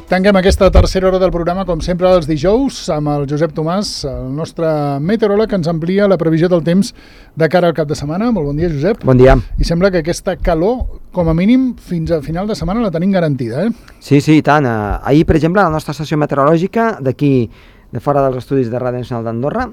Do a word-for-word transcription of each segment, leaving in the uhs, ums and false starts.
Tanquem aquesta tercera hora del programa, com sempre, els dijous, amb el Josep Tomàs, el nostre meteoròleg, que ens amplia la previsió del temps de cara al cap de setmana. Molt bon dia, Josep. Bon dia. I sembla que aquesta calor, com a mínim, fins a final de setmana la tenim garantida, eh? Sí, sí, i tant. Ahir, per exemple, a la nostra estació meteorològica, d'aquí, de fora dels estudis de Ràdio Nacional d'Andorra,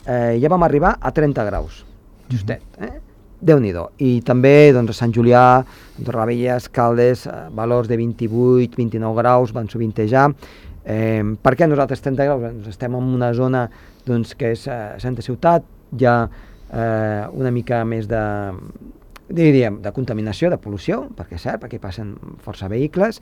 eh, ja vam arribar a trenta graus, justet, eh? Déu-n'hi-do. I també doncs, a Sant Julià, Andorra Vella, Escaldes, eh, valors de vint-i-vuit, vint-i-nou graus, van sovintejar. Eh, per què nosaltres trenta graus? Doncs estem en una zona doncs, que és eh, Santa Ciutat, hi ha eh, una mica més de, diríem, de contaminació, de pol·lució, perquè és cert, perquè passen força vehicles,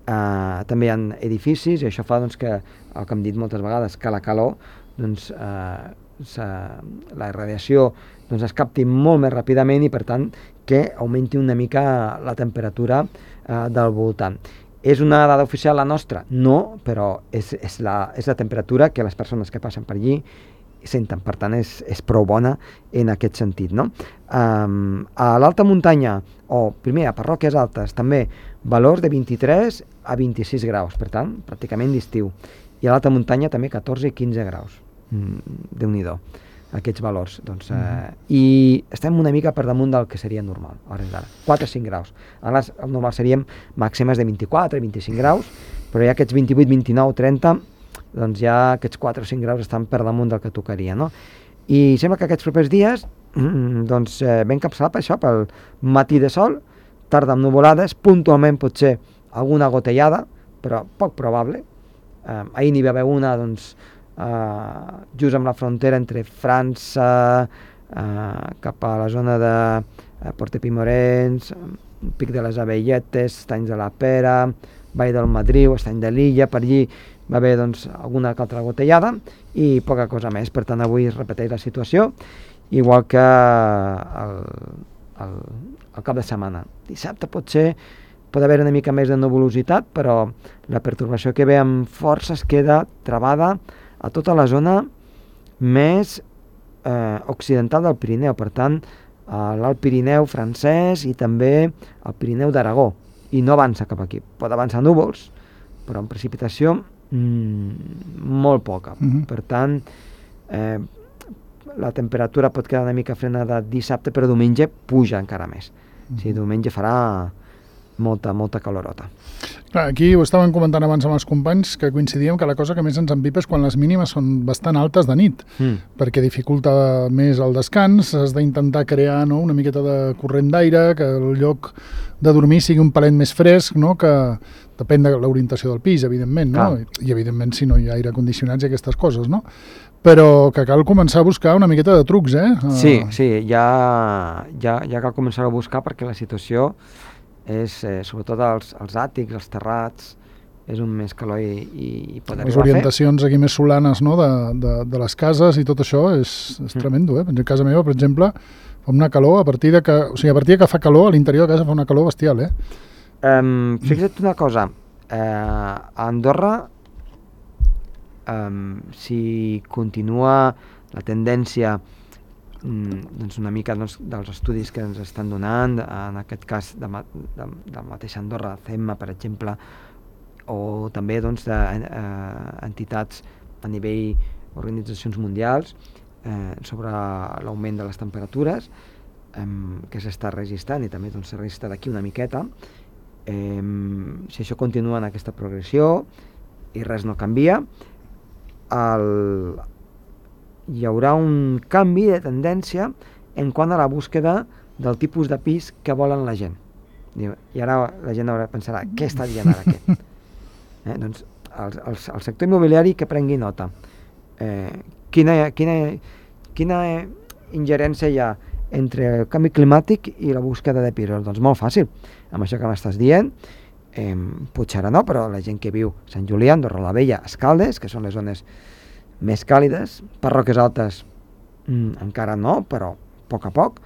eh, també hi ha edificis, i això fa doncs, que, el que hem dit moltes vegades, que la calor, doncs, eh, la radiació doncs es capti molt més ràpidament i per tant que augmenti una mica la temperatura eh, del voltant. És una dada oficial la nostra? No, però és, és, la, és la temperatura que les persones que passen per allí senten, per tant és, és prou bona en aquest sentit, no? Um, a l'alta muntanya, o primer a parròquies altes, també valors de vint-i-tres a vint-i-sis graus, per tant, pràcticament d'estiu. I a l'alta muntanya també catorze i quinze graus. Mm, Déu-n'hi-do, aquests valors. Doncs, eh, I estem una mica per damunt del que seria normal, a hores d'ara. quatre a cinc graus. Ara el normal seríem màximes de vint-i-quatre a vint-i-cinc graus, però ja aquests vint-i-vuit, vint-i-nou, trenta, doncs ja aquests quatre o cinc graus estan per damunt del que tocaria, no? I sembla que aquests propers dies mm, doncs, eh, ben capçalat per això, pel matí de sol, tarda amb nuvolades, puntualment potser alguna gotellada, però poc probable. Eh, ahir n'hi va haver una, doncs, Uh, just amb la frontera entre França, uh, cap a la zona de uh, Portepimorens, Pic de les Abelletes, Estanys de la Pera, Vall del Madriu, Estany de l'Illa, per allí va haver doncs, alguna altra gotellada i poca cosa més. Per tant, avui es repeteix la situació, igual que el, el, el cap de setmana. Dissabte potser pot haver una mica més de nuvolositat, però la pertorbació que ve amb força es queda travada a tota la zona més eh, occidental del Pirineu, per tant, l'Alt Pirineu francès i també el Pirineu d'Aragó, i no avança cap aquí. Pot avançar núvols, però en precipitació mmm, molt poca. Uh-huh. Per tant, eh, la temperatura pot quedar una mica frenada dissabte, però diumenge puja encara més. Uh-huh. O sigui, diumenge farà molta, molta calorota. Clar, aquí ho estàvem comentant abans amb els companys, que coincidíem que la cosa que més ens empipa és quan les mínimes són bastant altes de nit, mm. perquè dificulta més el descans, has d'intentar crear, no, una miqueta de corrent d'aire, que el lloc de dormir sigui un palet més fresc, no, que depèn de l'orientació del pis, evidentment, no? Ah. I evidentment si no hi ha aire condicionats i aquestes coses, no? Però que cal començar a buscar una miqueta de trucs, eh? Sí, sí, ja, ja, ja cal començar a buscar perquè la situació és, eh, sobretot els, els àtics, els terrats, és un més calor i, i, i pot arribar a fer. Les orientacions aquí més solanes, no?, de, de, de les cases i tot això és, és mm. tremendo, eh? A casa meva, per exemple, fa una calor a partir de que, o sigui, a partir de que fa calor, a l'interior de casa fa una calor bestial, eh? Um, fixa't una cosa, uh, a Andorra, um, si continua la tendència doncs una mica doncs, dels estudis que ens estan donant, en aquest cas de, de, de la mateixa Andorra, C E M A, per exemple, o també doncs, d'entitats eh, a nivell organitzacions mundials eh, sobre l'augment de les temperatures eh, que s'està registrant i també doncs, s'ha registrat aquí una miqueta. Eh, si això continua en aquesta progressió i res no canvia, el hi haurà un canvi de tendència en quant a la búsqueda del tipus de pis que volen la gent. I ara la gent haurà pensarà, què està dient ara aquest? Eh, doncs el, el, el sector immobiliari que prengui nota. Eh, quina, quina, quina ingerència hi ha entre el canvi climàtic i la búsqueda de pisos? Doncs molt fàcil. Amb això que m'estàs dient, eh, potser ara no, però la gent que viu a Sant Julià, Andorra la Vella, Escaldes, que són les zones més càlides, parròquies altes mm, encara no, però a poc a poc,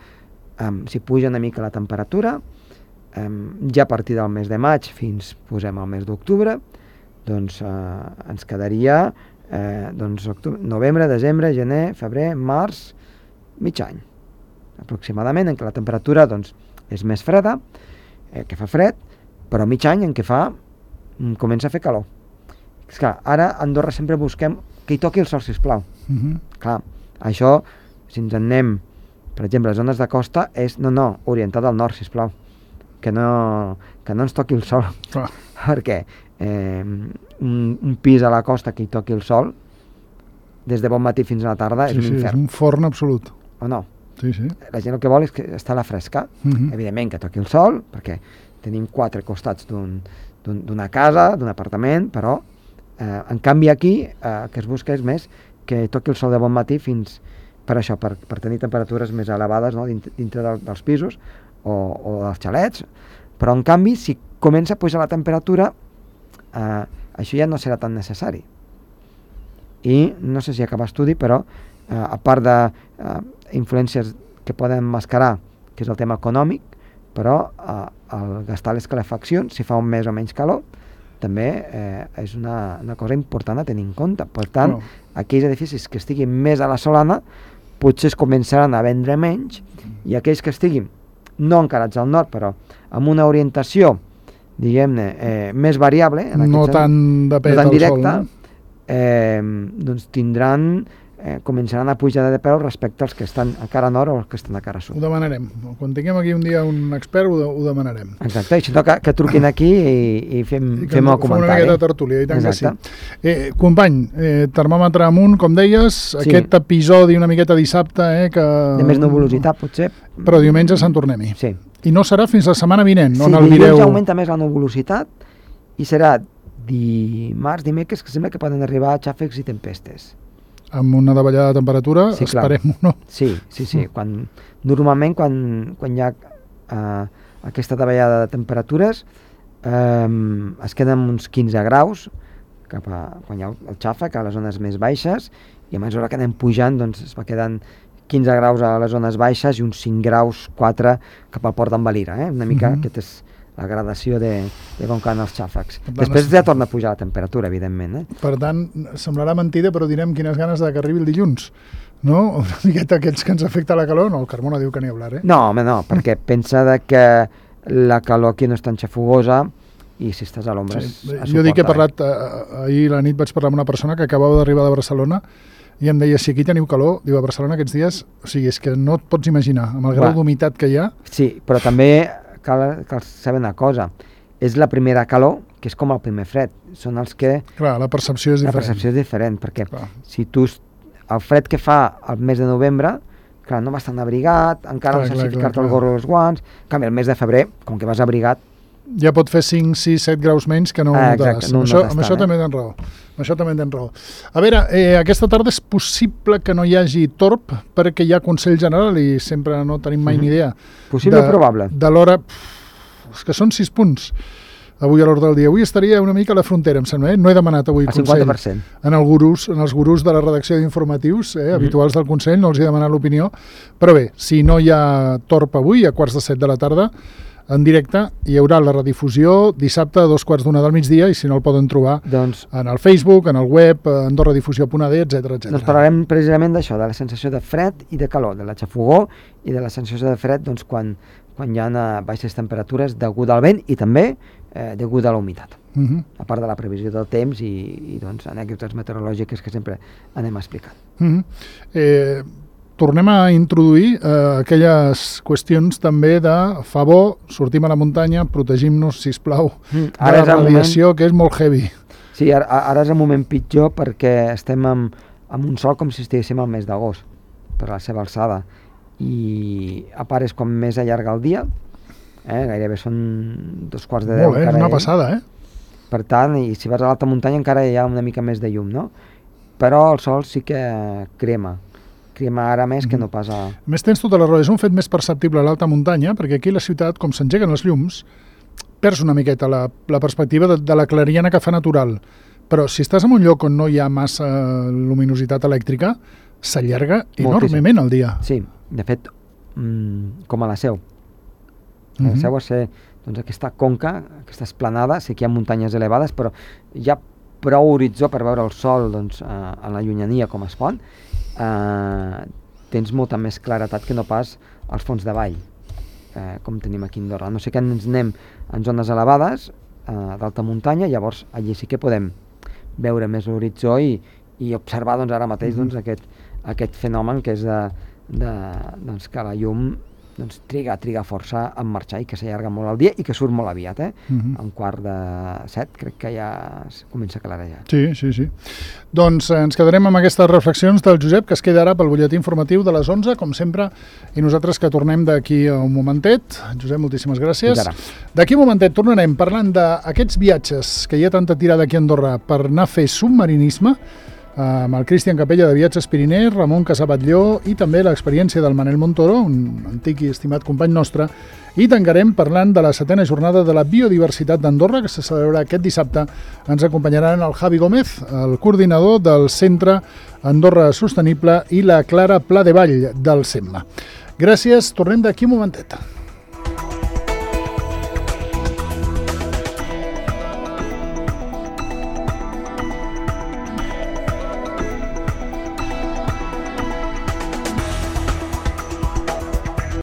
um, si puja una mica la temperatura, um, ja a partir del mes de maig fins, posem, al mes d'octubre, doncs uh, ens quedaria eh, doncs, octubre, novembre, desembre, gener, febrer, març, mig any, aproximadament, en què la temperatura doncs, és més freda, eh, que fa fred, però mig any en què fa, comença a fer calor. És clar, ara a Andorra sempre busquem que hi toqui el sol, sisplau. Uh -huh. Clar, això, si ens en anem, per exemple, les zones de costa, és, no, no, orientat al nord, sisplau. Que no, que no ens toqui el sol. Clar. Perquè eh, un, un pis a la costa que hi toqui el sol, des de bon matí fins a la tarda, Sí, és sí, un és infern. un forn absolut. O no? Sí, sí. La gent el que vol és que està a la fresca. Uh -huh. Evidentment que toqui el sol, perquè tenim quatre costats d'un, d'un, d'una casa, d'un apartament, però eh, en canvi aquí eh, que es busca és més que toqui el sol de bon matí fins per això, per, per tenir temperatures més elevades, no? dintre, dintre del, dels pisos o, o dels xalets, però en canvi si comença a pujar la temperatura eh, això ja no serà tan necessari. I no sé si acaba estudi, però eh, a part de eh, influències que poden mascarar, que és el tema econòmic, però eh, el gastar les calefaccions, si fa un més o menys calor, també eh, és una, una cosa important a tenir en compte. Per tant, Oh. aquells edificis que estiguin més a la solana potser es començaran a vendre menys, i aquells que estiguin no encarats al nord, però amb una orientació, diguem-ne, eh, més variable, en No aquest tan sentit, de pet no tan al sol, directa, no? eh, doncs tindran, eh, començaran a pujar de preu respecte als que estan a cara nord o als que estan a cara Ho sud. demanarem. Quan tinguem aquí un dia un expert, ho, de, ho demanarem. Exacte, i si no, que, que truquin aquí i, i fem, I que fem ens- el fem una comentari. miqueta de tertúlia, i tant Exacte. que sí. Eh, company, eh, termòmetre amunt, com deies, Sí. aquest episodi una miqueta dissabte, eh, que... De més nuvolositat, potser. Però diumenge se'n tornem-hi. Sí. I no serà fins la setmana vinent, Sí, on el dilluns mireu... augmenta més la nuvolositat i serà dimarts, dimecres, que sembla que poden arribar xàfecs i tempestes. Amb una davallada de temperatura, Sí, clar. esperem-ho, no? Sí, sí, sí. Quan, normalment, quan, quan hi ha eh, aquesta davallada de temperatures, eh, es queden uns quinze graus cap a, quan hi ha el xàfec a les zones més baixes, i a mesura que anem pujant doncs, es va quedant quinze graus a les zones baixes i uns cinc graus, quatre cap al port d'en Valira. Eh? Una mica, Mhm. aquesta és la gradació de, de com cauen els xàfecs. Per tant, Després es- ja torna a pujar la temperatura, evidentment. Eh? Per tant, semblarà mentida, però direm quines ganes de que arribi el dilluns, no? Una miqueta aquells que ens afecta la calor, no, el Carmona diu que n'hi hablar, eh? No, home, no, perquè pensa de que la calor aquí no és tan xafogosa i si estàs a l'ombra Sí. es, es Jo dic que he suporta bé. parlat, eh, ahir a la nit vaig parlar amb una persona que acabava d'arribar de Barcelona i em deia, si aquí teniu calor, diu, a Barcelona aquests dies, o sigui, és que no et pots imaginar, amb el grau Va. d'humitat que hi ha, Sí, però també cal, cal saber una cosa. És la primera calor, que és com el primer fred. Són els que clar, la percepció és la diferent. percepció és diferent, perquè Clar. si tu, es- el fred que fa al mes de novembre, clar, no vas tan abrigat, encara Clar, no clar, saps clar, ficar-te el clar. gorro i els guants, en canvi el mes de febrer, com que vas abrigat, Ja pot fer cinc, sis, set graus menys que no ho Ah, notaràs. exacte, no ho amb això, notes amb això tant, també tens raó. Amb això també tens raó. A veure, eh, aquesta tarda és possible que no hi hagi torb perquè hi ha Consell General i sempre no tenim mai ni idea. possible o probable? De l'hora... Pff, És que són sis punts avui a l'ordre del dia. Avui estaria una mica a la frontera, em sembla. Eh? No he demanat avui El Consell. cinquanta per cent. En, el gurús, en els gurús de la redacció d'informatius, eh, habituals del Consell, no els he demanat l'opinió. Però bé, si no hi ha torb avui, a quarts de set de la tarda, en directe, hi haurà la redifusió dissabte a dos quarts d'una del migdia, i si no el poden trobar Doncs, en el Facebook, en el web, andorradifusió punt a d, etcètera, etcètera. doncs parlarem precisament d'això, de la sensació de fred i de calor, de la xafogor i de la sensació de fred doncs, quan, quan hi ha eh, baixes temperatures deguda al vent i també eh, deguda a la humitat. Uh -huh. A part de la previsió del temps i, i doncs, anècdotes meteorològiques que sempre anem explicant. Uh -huh. eh, tornem a introduir eh, aquelles qüestions també de favor, sortim a la muntanya, protegim-nos, sisplau, Mm, de ara la és el radiació, moment... que és molt heavy. Sí, ara, ara és el moment pitjor perquè estem amb, amb un sol com si estiguéssim al mes d'agost, per la seva alçada. I a part és quan més allarga el dia, eh? Gairebé són dos quarts de deu. Molt bé, és encara una hi- passada, eh? Per tant, i si vas a l'alta muntanya encara hi ha una mica més de llum, no? Però el sol sí que crema. Crema ara més que no pas a... A més, tens tota la raó, és un fet més perceptible a l'alta muntanya, perquè aquí a la ciutat, com s'engeguen els llums, perds una miqueta la, la perspectiva de, de la clariana que fa natural. Però si estàs en un lloc on no hi ha massa luminositat elèctrica, s'allarga Moltíssim. enormement el dia. Sí, de fet, mm, com a la Seu. La Mhm. Seu va ser doncs, aquesta conca, aquesta esplanada, sé que hi ha muntanyes elevades, però hi ha prou horitzó per veure el sol doncs, eh, en la llunyania com es pot. Eh, tens molta més claretat que no pas als fons de vall, eh, com tenim aquí a Andorra. No sé que ens anem en zones elevades, eh, d'alta muntanya, llavors allí sí que podem veure més l'horitzó i, i observar doncs, ara mateix doncs, aquest, aquest fenomen que és de, de, doncs, que la llum doncs, triga, triga força en marxar i que s'allarga molt el dia i que surt molt aviat, eh? Uh-huh. A un quart de set crec que ja comença a clarejar. Sí, sí, sí. Doncs eh, ens quedarem amb aquestes reflexions del Josep, que es queda ara pel butlletí informatiu de les onze, com sempre, i nosaltres que tornem d'aquí a un momentet. Josep, moltíssimes gràcies. D'aquí un momentet tornarem parlant d'aquests viatges que hi ha tanta tirada aquí a Andorra per anar a fer submarinisme, amb el Cristian Capella de Viatges Pirineu, Ramon Casabatlló i també l'experiència del Manel Montoro, un antic i estimat company nostre, i tancarem parlant de la setena jornada de la biodiversitat d'Andorra, que se celebrarà aquest dissabte. Ens acompanyaran el Javi Gómez, el coordinador del Centre Andorra Sostenible, i la Clara Pla de Vall del SEMMA. Gràcies, tornem d'aquí un momentet.